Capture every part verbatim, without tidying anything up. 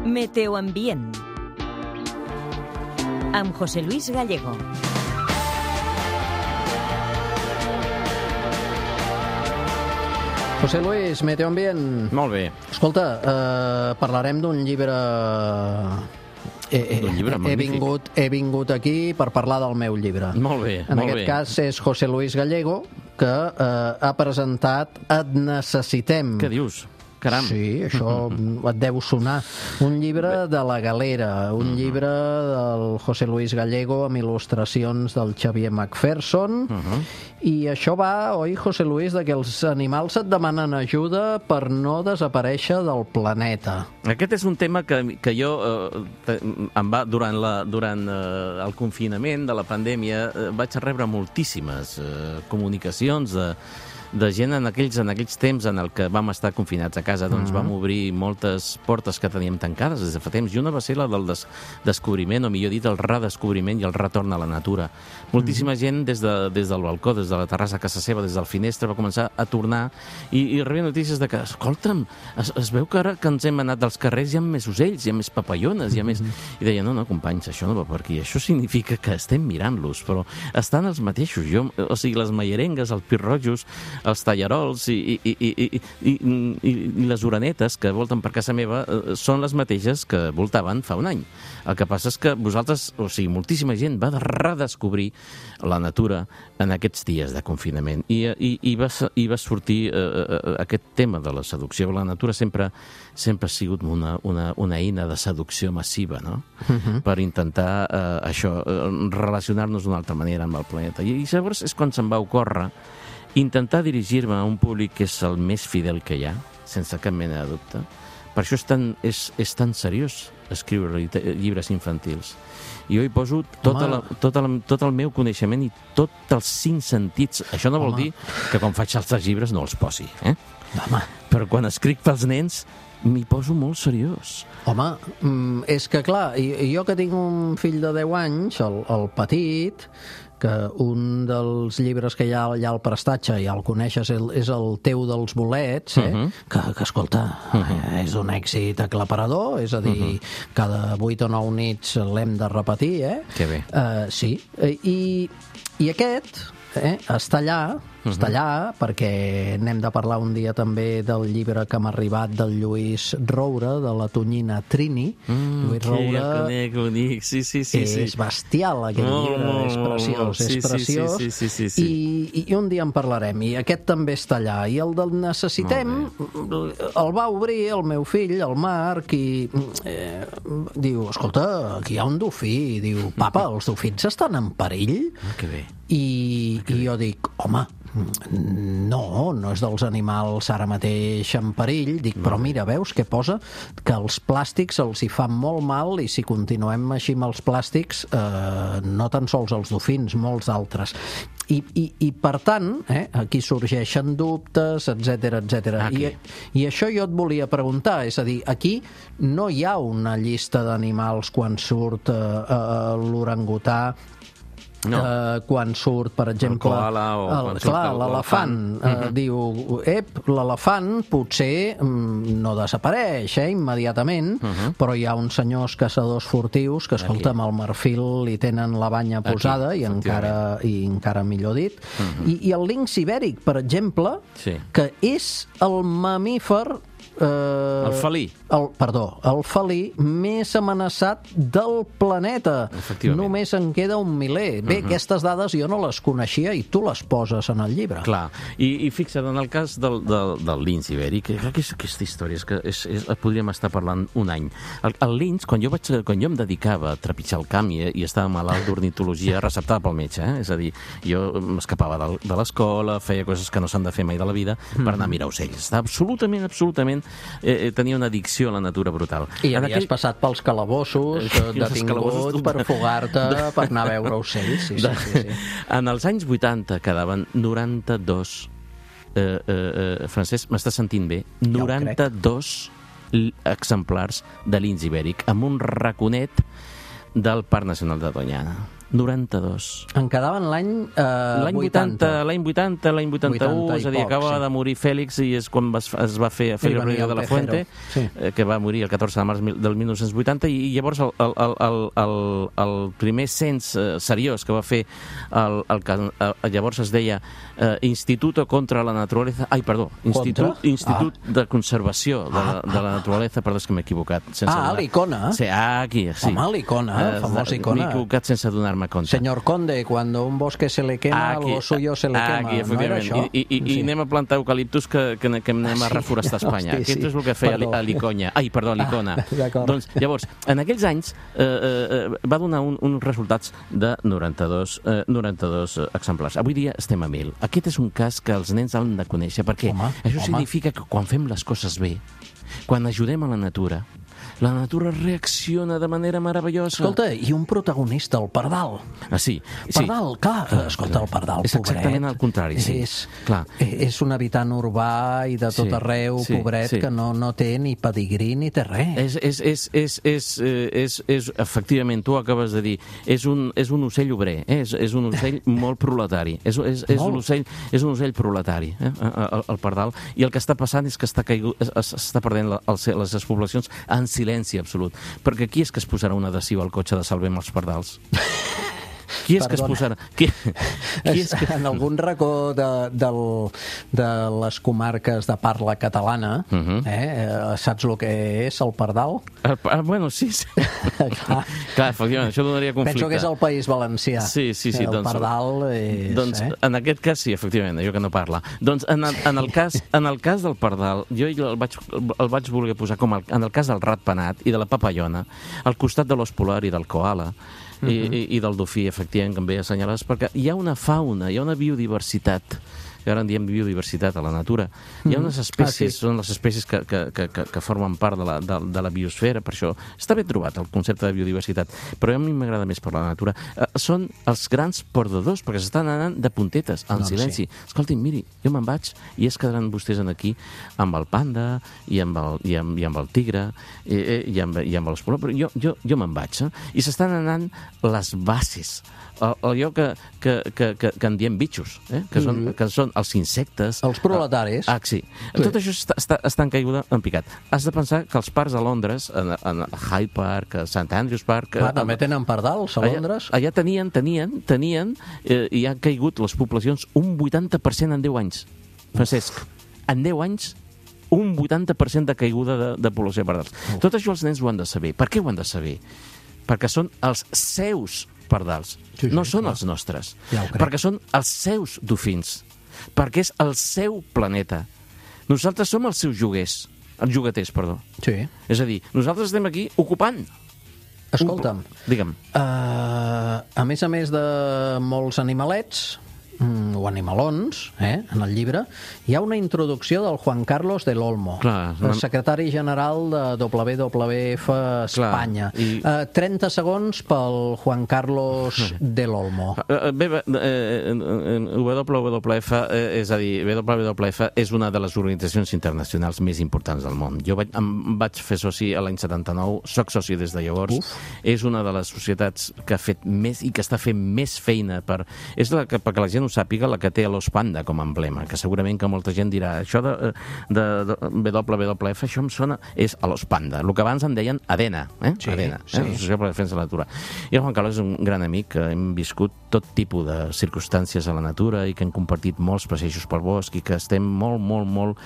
Meteoambient amb José Luis Gallego. José Luis, Meteoambient. Molt bé. Escolta, eh, parlarem d'un llibre... He, D'un llibre he, magnífic. vingut, he vingut aquí per parlar del meu llibre. Molt bé, En molt aquest bé. cas és José Luis Gallego, que eh, ha presentat Et necessitem. Què dius? Caram. Sí, això et deu sonar. Un llibre de la Galera, un llibre del José Luis Gallego amb il·lustracions del Xavier McPherson, i això va, oi, José Luis, de que els animals et demanen ajuda per no desaparèixer del planeta. Aquest és un tema que, que jo eh, te- em va, durant, la, durant eh, el confinament de la pandèmia eh, vaig rebre moltíssimes eh, comunicacions de, de gent en aquells, en aquells temps en el que vam estar confinats a casa, doncs vam obrir moltes portes que teníem tancades des de fa temps, i una va ser la del des descobriment, o millor dit, el redescobriment i el retorn a la natura. Moltíssima gent des, de, des del balcó, des de la terrassa a casa seva, des del finestre, va començar a tornar i, i rebia notícies de que, escolta'm, es, es veu que ara que ens hem anat dels carrers hi ha més ocells, hi ha més papallones, hi ha més... I deia, no, no, companys, això no va per aquí, això significa que estem mirant-los, però estan els mateixos. Jo, o sigui, les maierengues, els pirrojos, els tallarols i, i, i, i, i, i, i les oranetes que volten per casa meva eh, són les mateixes que voltaven fa un any. El que passa és que vosaltres, o sigui, moltíssima gent va de redescobrir la natura en aquests dies de confinament i, i, i, va, i va sortir eh, eh, aquest tema de la seducció. La natura sempre, sempre ha sigut una, una, una eina de seducció massiva, no? Uh-huh. Per intentar eh, això, eh, relacionar-nos d'una altra manera amb el planeta. I, i llavors és quan se'm va ocórrer intentar dirigir-me a un públic que és el més fidel que hi ha, sense cap mena de dubte. Per això és tan, és, és tan seriós escriure llibres infantils. I jo hi poso tota la, tota la, tot el meu coneixement i tots els cinc sentits. Això no vol Home. dir que quan faig altres llibres no els posi, eh? Home, Però quan escric pels nens m'hi poso molt seriós. home mm, és que clar, i- jo que tinc un fill de deu anys, el, el petit, que un dels llibres que hi ha allà al prestatge, ja el coneixes, el, és el teu dels bolets, eh? Uh-huh. que, que, escolta, uh-huh. és un èxit aclaparador, és a dir, uh-huh. cada vuit o nou nits l'hem de repetir, eh? Que bé. Uh, sí, Eh, i, i aquest eh, està allà, uh-huh. està allà, perquè n'hem de parlar un dia també del llibre que m'ha arribat del Lluís Roure, de la tonyina Trini. Mm, Lluís que Roure jo conec, bonic, sí, sí, sí. és sí. bestial, aquest Molt, llibre, molt, és molt, preciós, molt. Sí, és sí, preciós. sí, sí, sí, sí. I, I un dia en parlarem, i aquest també està allà. I el del necessitem, el va obrir el meu fill, el Marc, i eh, diu, escolta, aquí hi ha un dofí, i diu, papa, els dofins estan en perill? Ah, que bé. I, i jo dic, home, no, no és dels animals ara mateix en perill. Dic, però mira, veus què posa? Que els plàstics els hi fan molt mal, i si continuem així amb els plàstics, eh, no tan sols els dofins, molts d'altres. I, i, i per tant, eh, aquí sorgeixen dubtes, etcètera, etcètera. Ah, I, I això jo et volia preguntar, és a dir, aquí no hi ha una llista d'animals quan surt eh, eh, l'orangutà, No. Uh, quan surt, per exemple, koala o el, quan surt clar, el- l'elefant, l'elefant. uh, diu, ep, l'elefant potser mm, no desapareix eh, immediatament, però hi ha uns senyors caçadors furtius que, escolta, amb el marfil li tenen la banya posada, i encara, i encara millor dit. I, I el linx ibèric, per exemple, Sí. que és el mamífer Eh, El felí. El, perdó, el felí més amenaçat del planeta. Efectivament. Només en queda un miler. Bé, uh-huh. aquestes dades jo no les coneixia i tu les poses en el llibre. Clar, i, i fixa't, en el cas del, del, del linx ibèric, que, que és aquesta història, és que és, és, podríem estar parlant un any. El, el linx, quan jo, vaig, quan jo em dedicava a trepitjar el camp i, i estava malalt d'ornitologia, receptada pel metge, eh? És a dir, jo m'escapava de, de l'escola, feia coses que no s'han de fer mai de la vida per anar a mirar ocells. Estava absolutament, absolutament, eh, tenia una addicció a la natura brutal. I En havies aquell... passat pels calabossos, I els detingut calabossos per fugar-te, per anar a veure ocells. Sí, sí, sí, sí. En els anys vuitanta quedaven noranta-dos, eh, eh, eh, Francesc, m'estàs sentint bé? noranta-dos exemplars de linx ibèric, amb un raconet del Parc Nacional de Doñana. noranta-dos. En quedaven l'any eh, L'any vuitanta, l'any vuitanta, l'any vuitanta-u, és a dir, acaba de morir Fèlix i és quan es, es va fer Félix Rodríguez de la Fuente, sí. eh, que va morir el catorze de març del mil nou-cents vuitanta, i llavors el, el, el, el, el primer cens eh, seriós que va fer el, el, el, llavors es deia eh, Instituto contra la Naturaleza, ai, perdó, Institut, Institut ah. de Conservació de, ah, de la Naturaleza, perdó, és que m'he equivocat. Ah, l'Icona. Sí, aquí, sí. Home, l'Icona, eh, famosa Icona. M'he equivocat sense donar-me compte. Señor Conde, cuando un bosque se le quema, aquí, algo suyo se le quema. Aquí, no era això? I, i, sí. I anem a plantar eucaliptus que, que, que anem a reforestar Espanya. Hosti, sí. Aquest és el que feia perdó. a l'Iconya. Ai, perdó, a l'Icona. Ah, doncs, llavors, en aquells anys eh, eh, va donar un, uns resultats de noranta-dos, eh, noranta-dos exemplars. Avui dia estem a mil. Aquest és un cas que els nens han de conèixer, perquè home, això home. significa que quan fem les coses bé, quan ajudem a la natura, la natura reacciona de manera meravellosa. Escolta, i un protagonista, el pardal. Ah, sí. Pardal, sí. clar, clar, escolta, el pardal, és pobret. És exactament el contrari, sí. És, clar. és un habitant urbà i de tot sí, arreu, sí, pobret, sí. que no, no té ni pedigrí ni té res. És, és, és, és, és, és, és, efectivament, tu acabes de dir, és un, és un ocell obrer, eh? és, és un ocell molt proletari, és, és, és, un, ocell, és un ocell proletari, eh? el, el pardal, i el que està passant és que està, caigut, està perdent la, el, les poblacions en silenci absolut. Perquè qui és que es posarà un adhesiu al cotxe de Salvem els pardals? Qui és Perdona. que es posarà? Qui, qui és que... En algun racó de, del, de les comarques de parla catalana, uh -huh. eh, saps el que és el pardal? El, ah, bueno, sí, sí. Clar. Clar, efectivament, això donaria conflicte. Penso que és el País Valencià. Sí, sí, sí. El doncs, pardal és... Doncs, eh? en aquest cas, sí, efectivament, allò que no parla. Doncs, en el, en el, cas, en el cas del pardal, jo el vaig, el vaig voler posar com el, en el cas del ratpenat i de la papallona, al costat de l'os polar i del koala, I, i, i del dofí, efectivament, que em ve assenyalades, perquè hi ha una fauna, hi ha una biodiversitat, que ara en diem biodiversitat a la natura. Hi ha unes espècies, ah, sí. són les espècies que, que, que, que formen part de la, de, de la biosfera, per això està ben trobat el concepte de biodiversitat, però a mi m'agrada més per la natura. Eh, són els grans perdedors, perquè s'estan anant de puntetes, en no, silenci. Sí. Escolti'm, miri, jo me'n vaig i es quedaran vostès aquí amb el panda i amb el, i amb, i amb el tigre i, i, amb, i amb els polos, però jo, jo, jo me'n vaig. Eh? I s'estan anant les bases, allò que, que, que, que, que en diem bitxos, eh? que, són, mm -hmm. que són els insectes... Els proletaris. Ah, sí. sí. Tot això està, està, està en caiguda en picat. Has de pensar que els parcs a Londres, en, en Hyde Park, a Saint Andrews Park... Ah, també tenen pardals a Londres? Allà, allà tenien, tenien, tenien, eh, i han caigut les poblacions un vuitanta per cent en deu anys. Francesc, en deu anys un vuitanta per cent de caiguda de, de població de pardals. Uf. Tot això els nens ho han de saber. Per què ho han de saber? Perquè són els seus pardals, sí, sí, no són clar. els nostres, ja perquè són els seus dofins, perquè és el seu planeta. Nosaltres som els seus joguers, els jugueters, perdó. Sí. És a dir, nosaltres estem aquí ocupant. Escolta'm, Un... digue'm. Uh, a més a més de molts animalets, mm, o animalons, eh, en el llibre, hi ha una introducció del Juan Carlos del Olmo, Clar, el secretari general de W W F Espanya. Clar, i... uh, trenta segons pel Juan Carlos del Olmo. Bé, bé eh, W W F, eh, és a dir, W W F és una de les organitzacions internacionals més importants del món. Jo vaig, em vaig fer soci a l'any setanta-nou, soc soci des de llavors. Uf. És una de les societats que ha fet més i que està fent més feina per... És la que, perquè la gent ho sàpiga, la que té l'os panda com a emblema, que segurament que molta gent dirà això de, de, de W W F, això em sona, és a l'os panda, el que abans en deien ADENA, eh? Sí, ADENA, sí. eh? Associació per la Defensa de la Natura. I el Juan Carlos és un gran amic, que hem viscut tot tipus de circumstàncies a la natura i que hem compartit molts passejos pel bosc i que estem molt, molt, molt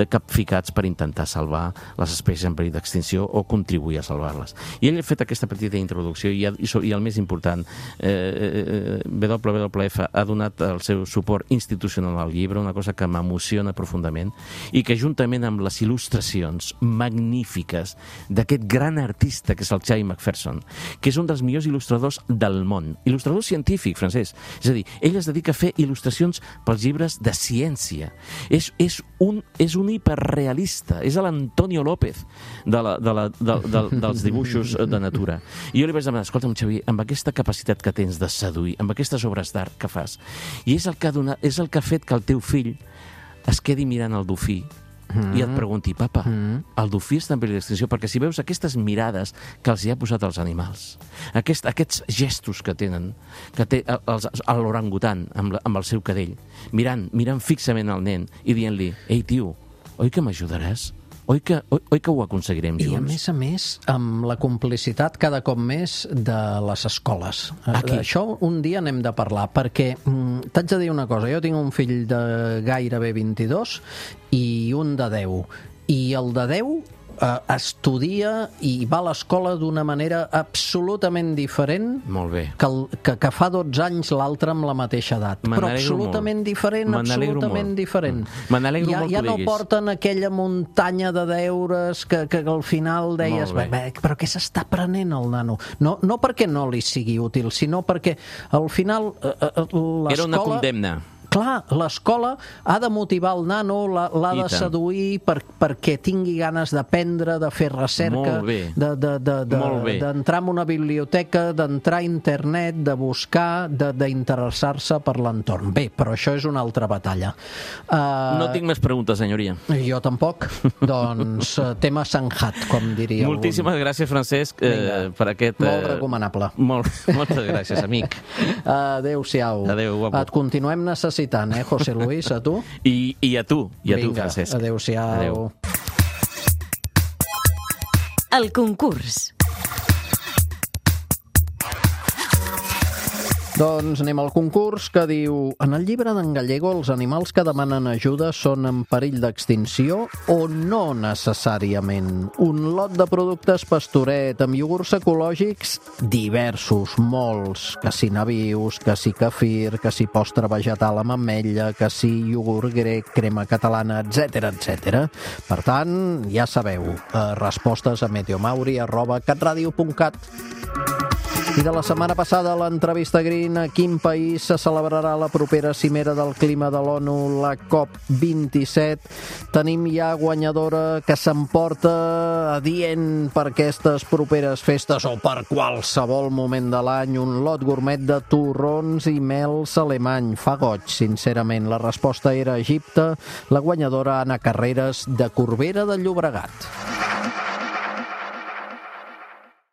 capficats per intentar salvar les espècies en perill d'extinció o contribuir a salvar-les. I ell ha fet aquesta petita introducció i, ha, i el més important, eh, W W F ha donat el seu suport institucional al llibre, una cosa que m'emociona profundament i que juntament amb les il·lustracions magnífiques d'aquest gran artista que és el Charlie McPherson, que és un dels millors il·lustradors del món, il·lustrador científic, Francesc. És a dir, ell es dedica a fer il·lustracions pels llibres de ciència. És, és, un, és un hiperrealista, és l'Antonio López de la, de la, de, de, dels dibuixos de natura. I jo li vaig demanar, escolta'm, Xavier, amb aquesta capacitat que tens de seduir, amb aquestes obres d'art que fas, i és el que ha donat, és el que ha fet que el teu fill es quedi mirant el dofí mm. i et pregunti, papa, mm. el dofí està en perill d'extinció, perquè si veus aquestes mirades que els hi ha posat als animals, aquest, aquests gestos que tenen, que té l'orangutan amb, la, amb el seu cadell, mirant, mirant fixament al nen i dient-li, ei, tio, oi que m'ajudaràs? Oi que, oi, oi que ho aconseguirem junts? I a més a més, amb la complicitat cada cop més de les escoles. Aquí. Això un dia n'hem de parlar, perquè mm, t'haig de dir una cosa, jo tinc un fill de gairebé vint-i-dos i un de deu, i el de deu eh, estudia i va a l'escola d'una manera absolutament diferent Molt bé. que, el, que, que fa dotze anys l'altre amb la mateixa edat. Però absolutament molt. diferent, absolutament molt. diferent. Me n'alegro ja, molt ja que no diguis. porten aquella muntanya de deures que, que al final deies, bé, bé, però què s'està aprenent el nano? No, no perquè no li sigui útil, sinó perquè al final eh, l'escola... Era una condemna. Clar, l'escola ha de motivar el nano, l'ha de seduir per, perquè tingui ganes d'aprendre, de fer recerca, d'entrar de, de, de, de, en una biblioteca, d'entrar a internet, de buscar, d'interessar-se per l'entorn. Bé, però això és una altra batalla. Uh, no tinc més preguntes, senyoria. Jo tampoc. Doncs tema sanjat, com diria Moltíssimes algun. gràcies, Francesc, eh, per aquest... Molt recomanable. Molt, moltes gràcies, amic. Adéu-siau. Adéu, guapo. Et continuem necessitant. Tant, eh, José Luis, a tu? I, i a tu, i a Vinga, tu, Francesc. Adéu-siau. Adéu. El concurs. Doncs anem al concurs que diu: en el llibre d'en Gallego els animals que demanen ajuda són en perill d'extinció o no necessàriament? Un lot de productes Pastoret amb iogurts ecològics diversos, molts, que si nabius, que si kefir, que si postre vegetal amb ametlla, que si iogurt grec, crema catalana, etcètera, etcètera. Per tant, ja sabeu, eh, respostes a meteomauri arroba catradio punt cat. I de la setmana passada, l'entrevista Green, a quin país se celebrarà la propera cimera del clima de l'ONU, la COP vint-i-set. Tenim ja guanyadora que s'emporta adient per aquestes properes festes o per qualsevol moment de l'any un lot gourmet de torrons i mels alemany. Fa goig, sincerament. La resposta era Egipte. La guanyadora, Anna Carreras, de Corbera de Llobregat.